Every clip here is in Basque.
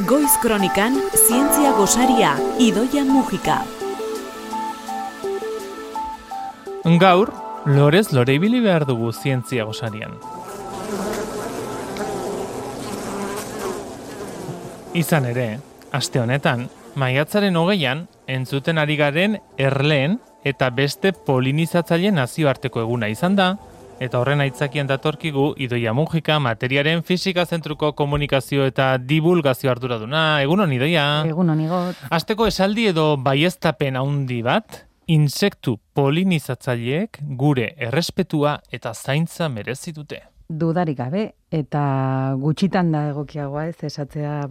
Goiz Kronikan, zientzia gosaria, Idoia Mujika. Gaur, lorez lore ibili behar dugu zientzia gosarian. Izan ere, aste honetan, maiatzaren 20an, entzuten ari garen erleen eta beste polinizatzaile nazioarteko eguna izan da, eta horren aitzakian datorkigu Idoia Mujika, materiaren fisika zentruko komunikazio eta divulgazio arduraduna. Egunon, Idoia? Egunon, Igot. Asteko esaldi edo baieztapen handi bat, insektu polinizatzaileek gure errespetua eta zaintza merezi dute. Dudarik gabe, eta gutxitan da egokiagoa ez esatzea,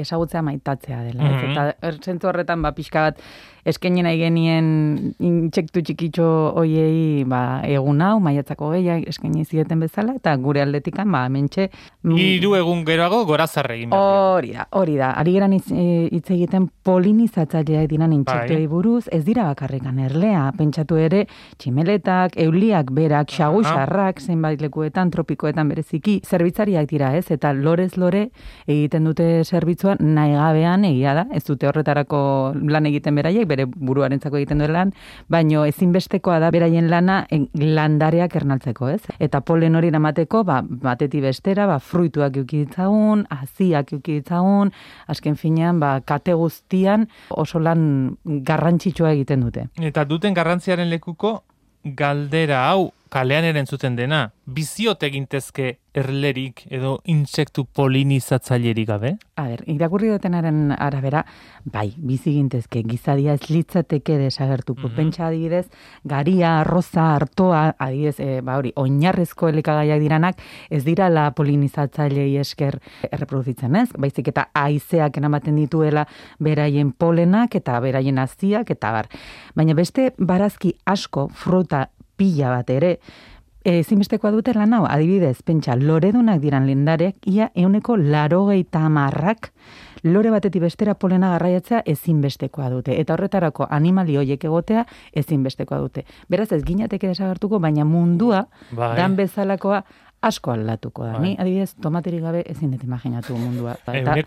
ezagutzea maitatzea dela. Eta zentzu horretan, pixka bat, eskaini nahi genien intsektu txikitxo hoiei egun hau, maiatzako gehiak eskaini zieten bezala, eta gure aldetikan, hementxe... 3 egun geroago gorazarre egin behar. Hori da. Ari geran hitz egiten polinizatzaileak diran intsektuei buruz, ez dira bakarrikan erlea, pentsatu ere, tximeletak, euliak berak, xagusarrak, zenbait lekuetan, tropikoetan bereziki, zerbitzariak dira ez, eta lorez lore egiten dute zerbitzua nahi gabean egia da, ez dute horretarako lan egiten beraiek, bere buruarentzako egiten duen lan, baino ezinbestekoa da beraien lana landareak ernaltzeko, ez? Eta polen hori eramateko, batetik bestera, fruituak eukiditzagun, haziak eukiditzagun, azken finean, kate guztian oso lan garrantzitsua egiten dute. Eta duten garrantziaren lekuko, galdera hau, kalean erantzuten dena, biziot egintezke erlerik edo intsektu polinizatzailerik gabe? Irakurri dutenaren arabera, bizi gintezke, gizadia ez litzateke desagertuko. Pentsa adibidez, garia, arroza, artoa, adibidez, oinarrezko elikagaiak diranak, ez dira la polinizatzailei esker erreproduzitzen ez, baizik eta haizeak eramaten dituela beraien polenak eta beraien haziak eta bar. Baina beste barazki asko, fruta, pila bat ere, ezinbestekoa dute lan hau, adibidez, pentsa, loredunak diran lendareak, ia 80% lore batetik bestera polena garraiatzea ezinbestekoa dute. Eta horretarako animali hoiek egotea ezinbestekoa dute. Beraz, ez ginateke desagertuko, baina mundua, dan bezalakoa, asko aldatuko da. Ni, adibidez, tomaterik gabe ezin dut imaginatu mundua. 80%,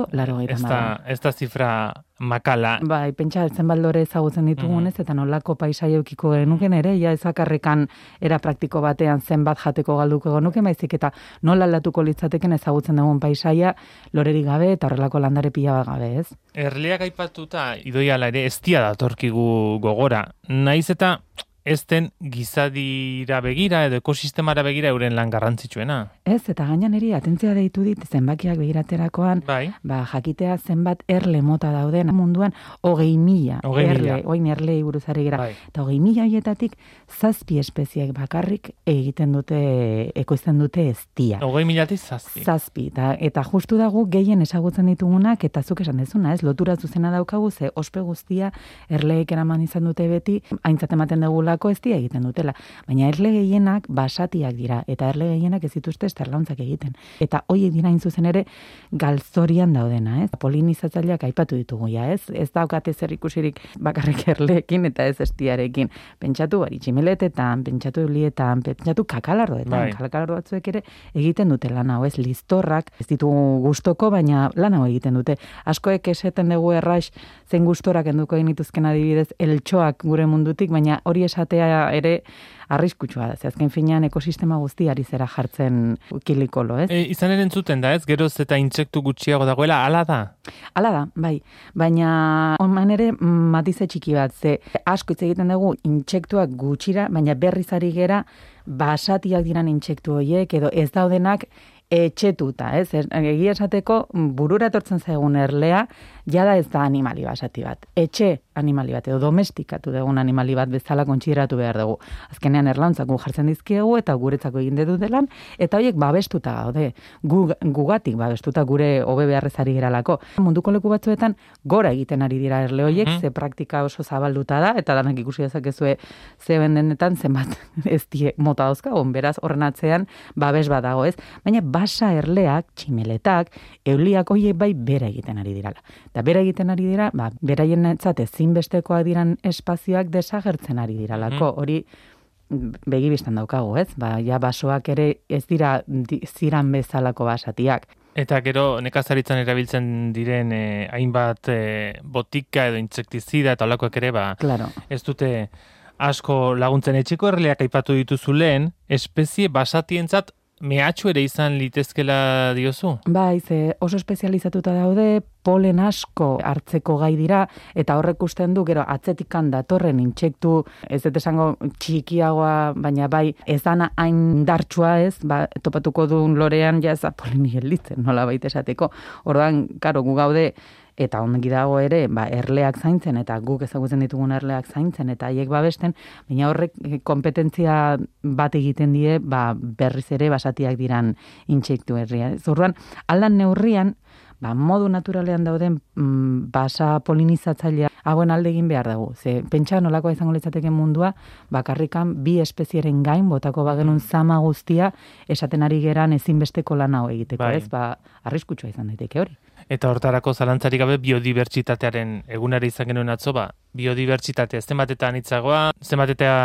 80%. Ez da zifra makala. Pentsa, zenbat lore ezagutzen ditugunez, eta nolako paisai eukiko genuken ere, ja ezakarrekan era praktiko batean zenbat jateko galduko genuken, baizik eta nola aldatuko litzateken ezagutzen dugun paisaia lorerik gabe eta horrelako landare pila bat gabe, ez? Erleak aipatuta, Idoiala ere, ez dia datorkigu gogora. Naiz eta ez den gizadira begira edo ekosistemara begira euren lan garrantzitsuena. Ez, eta gainan eri atentzia deitu dit zenbakiak begiraterakoan, jakitea zenbat erle mota dauden munduan 20.000 erle, oin erlei buruzari gira. Eta 20.000 horietatik 7 espeziek bakarrik egiten dute, ekoizten dute eztia. 20.000 7. Eta justu dago gehien ezagutzen ditugunak, eta zuk esan dezuna, ez, lotura zuzena daukagu, ze ospe guztia erleek eraman izan dute beti, aintzat ematen dugula ez dira egiten dutela. Baina erle gehienak basatiak dira, eta erle gehienak ez dituzte esterlauntzak egiten. Eta horiek dira zuzen ere galzorian daudena, ez? Polinizatzaileak aipatu ditugu, ez? Ez daukate zer ikusirik bakarrik erleekin eta ez estiarekin. Pentsatu tximeletetan, pentsatu eulietan, pentsatu kakalardoetan. Kakalardo batzuek ere egiten dute lan hau, ez? Listorrak, ez ditugu gustoko, baina lan hau egiten dute. Askoek eseten dugu erraix zein gustorak enduko genituzken adibidez eltxoak gure mundutik, baina hori esatea ere arriskutsua da. Azken finean ekosistema guztiari zera jartzen kilikolo, ez? Izan ere entzuten da, ez? Geroz eta intsektu gutxiago dagoela, hala da? Hala da, bai. Baina onman ere matize txiki bat, ze asko hitz egiten dugu intsektuak gutxira, baina berriz ari gera basatiak diran intsektu horiek, edo ez daudenak etxetuta, ez? Egia esateko burura etortzen zaigun erlea, jada ez da animali basati bat. Etxe animali bat, edo domestikatu dugun animali bat bezala kontsideratu behar dugu. Azkenean erlauntzak jartzen dizkiegu eta guretzako egin dute lan, eta horiek babestuta gaude. Gugatik babestuta gure hobe beharrezari geralako. Munduko leku batzuetan gora egiten ari dira erle horiek, ze praktika oso zabalduta da, eta danak ikusi dezakezue ze bendenetan zenbat ez die mota dauzkagun, beraz horren atzean babes bat dago, ez? Baina basa erleak, tximeletak, euliak horiek bai bera egiten ari dirala. Eta bera egiten ari dira, beraien etzat ezinbestekoak diran espazioak desagertzen ari diralako. Hori begibistan daukagu, ez? Ja basoak ere ez dira ziran bezalako basatiak. Eta gero nekazaritzan erabiltzen diren hainbat botika edo intsektizida eta olakoak ere, Claro. ez dute asko laguntzen. Etxeko erleak aipatu dituzu lehen, espezie basatientzat mehatxu ere izan litezkela diozu? Bai, ze oso espezializatuta daude, polen asko hartzeko gai dira, eta horrek usten du, gero atzetikan datorren intsektu, ez dut esango txikiagoa, baina bai, ez dana hain indartsua ez, topatuko duen lorean, ja ez da poleni gelditzen, nola baita esateko. Orduan, karo, gu gaude, eta ongi dago ere, erleak zaintzen, eta guk ezagutzen ditugun erleak zaintzen, eta haiek babesten, baina horrek kompetentzia bat egiten die, berriz ere basatiak diran intsektu herria. Orduan, aldan neurrian, modu naturalean dauden basa polinizatzailea hauen alde egin behar dugu. Ze, pentsa nolakoa izango litzateke mundua, bakarrikan bi espezieren gain, botako bagenun zama guztia, esaten ari geran ezinbesteko lan hau egiteko, bai. ez? Arriskutsua izan daiteke hori. Eta hortarako zalantzarik gabe biodibertsitatearen egunari izan genuen atzo, biodibertsitatea zenbatetan hitzagoa, zenbatetea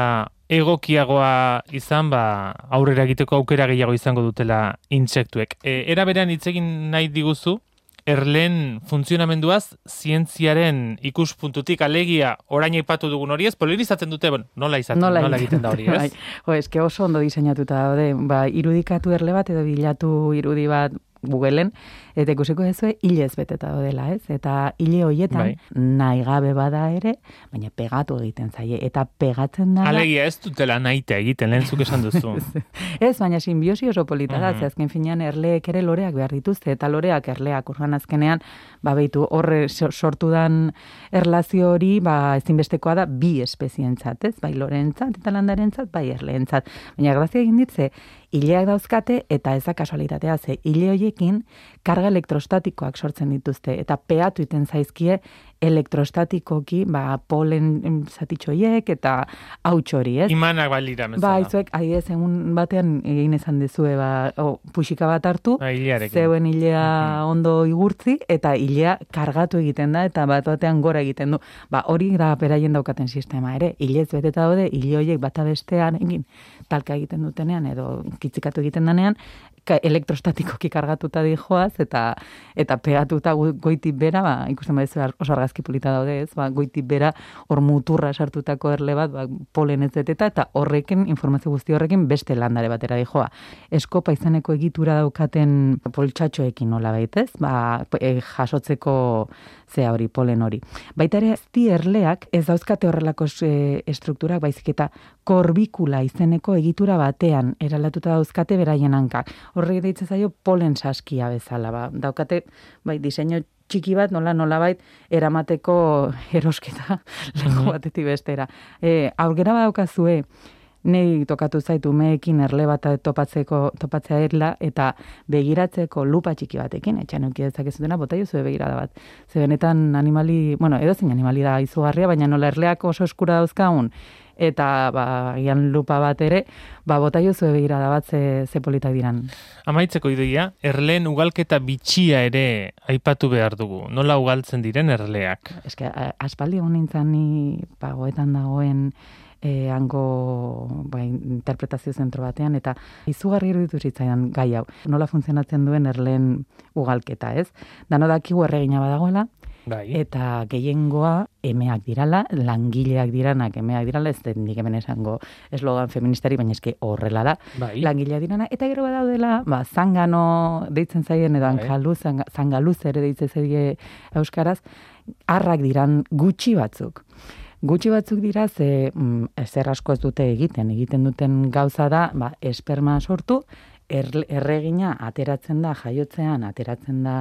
egokiagoa izan, aurrera egiteko aukera gehiago izango dutela intsektuek. Era berean hitz egin nahi diguzu, erleen funtzionamenduaz zientziaren ikuspuntutik alegia orain aipatu dugun hori ez, polinizatzen dute, nola egiten da hori, ez? Eske oso ondo diseinatuta daude, irudikatu erle bat edo bilatu irudi bat Googleen, eta ikusiko dezue hilez beteta daudela, ez? Eta hile horietan nahi gabe bada ere, baina pegatu egiten zaie, eta pegatzen da... Alegia ez dutela nahitea egiten, lehen zuk esan duzu. Ez, baina sinbiosi oso polita da, azken finean erleek ere loreak behar dituzte, eta loreak erleak urban azkenean, behitu horre sortu dan erlazio hori, ezinbestekoa da bi espezientzat, ez? Bai loreentzat eta landarentzat, bai erleentzat. Baina grazia egin ditze, hileak dauzkate, eta ez da kasualitatea, ze hile horiekin karga elektrostatikoak sortzen dituzte, eta peatu iten zaizkie elektrostatikoki, polen zatitxoiek eta hauts hori, ez? Imanak balira, mezala. Izuek, adidez, egun batean egin ezan dezue, puxika bat hartu, zeuen hilea ondo igurtzi, eta hilea kargatu egiten da, eta batean gora egiten du. Hori da beraien daukaten sistema ere, hilez beteta daude, hile horiek bata bestean egin, talka egiten dutenean, edo kitzikatu egiten danean, elektrostatikoki kargatuta dijoaz, eta pegatuta goitik bera, ikusten badezu oso argazki polita daude, ez? Goitik bera hor muturra sartutako erle bat, polen ez eta horrekin, informazio guzti horrekin beste landare batera dijoa. Eskopa izaneko egitura daukaten poltsatxoekin nola baitez, jasotzeko zea hori, polen hori. Baita ere, azti erleak ez dauzkate horrelako estrukturak, baizik eta korbikula izeneko egitura batean eraldatuta dauzkate beraien hankak. Horrek deitzen zaio polen saskia bezala. Daukate, diseinu txiki bat, nolabait, eramateko erosketa leku batetik bestera. Aurgera badaukazue, nei tokatu zaitu meekin erle bat topatzea erla, eta begiratzeko lupa txiki batekin, etxan euki dezakezutena, bota jozue begirada bat. Ze benetan animali, edozein animali da izugarria, baina nola erleak oso eskura dauzkagun, eta gian lupa bat ere, bota jozue begirada bat ze politak diran. Amaitzeko ideia, erleen ugalketa bitxia ere aipatu behar dugu. Nola ugaltzen diren erleak? Eske, aspaldi egon nintzen ni pagoetan dagoen hango interpretazio zentro batean, eta izugarri iruditu zitzaidan gai hau. Nola funtzionatzen duen erleen ugalketa, ez? Dano dakigu erregina badagoela, eta gehiengoa emeak dirala, langileak diranak emeak dirala, ez den nik hemen esango eslogan feministari, baina eske horrela da, langileak dirana, eta gero badaudela, zangano deitzen zaien, edo zangaluz ere deitzen zaie euskaraz, arrak diran gutxi batzuk. Gutxi batzuk dira, zer asko ez dute egiten duten gauza da, esperma sortu, erregina ateratzen da, jaiotzean ateratzen da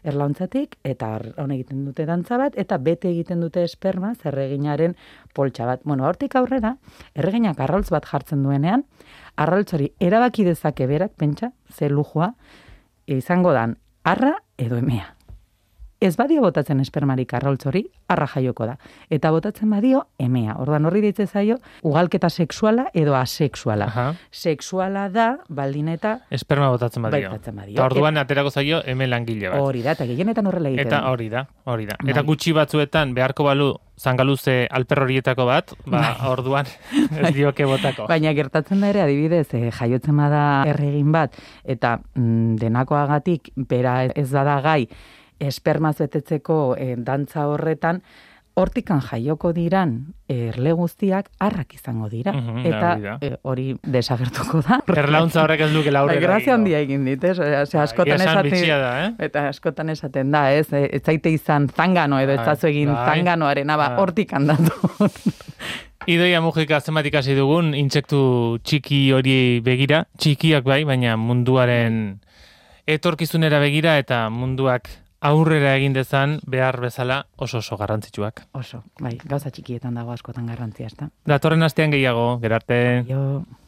erlauntzatik, eta hon egiten dute dantza bat, eta bete egiten dute esperma, erreginaren poltsa bat. Hortik aurrera, erreginak arraultz bat jartzen duenean, arraultz hori erabaki dezake berak, pentsa, ze lujua, izango dan, arra edo emea. ez badio botatzen espermarik arraultzori, arra jaioko da. Eta botatzen badio, emea. Orduan horri deitze zaio, ugalketa sexuala edo asexuala. Aha. Sexuala da, baldin eta Esperma botatzen badio. Eta orduan aterako zaio eme langile bat. hori da, eta gehienetan horrela egiten. Eta hori da. Eta gutxi batzuetan beharko balu zangaluze alper horietako bat, orduan ez dioke botako. Baina gertatzen da ere, adibidez, jaiotzen bada erregin bat, eta denakoagatik bera ez bada gai, espermaz betetzeko dantza horretan, hortikan jaioko diran erle guztiak arrak izango dira. Eta hori desagertuko da. Erlauntza horrek ez duke laurera. Grazia handia egin dit, ez? Askotan askotan esaten da, ez? Ez zaite izan zangano edo ez zazu egin zanganoaren, hortik handatu. Idoia Mujika zenbat ikasi dugun, intsektu txiki hori begira, txikiak bai, baina munduaren etorkizunera begira eta munduak aurrera egin dezan behar bezala oso garrantzitsuak. Oso, bai, gauza txikietan dago askotan garrantzia, ezta? Datorren astean gehiago, gerarte. Jo.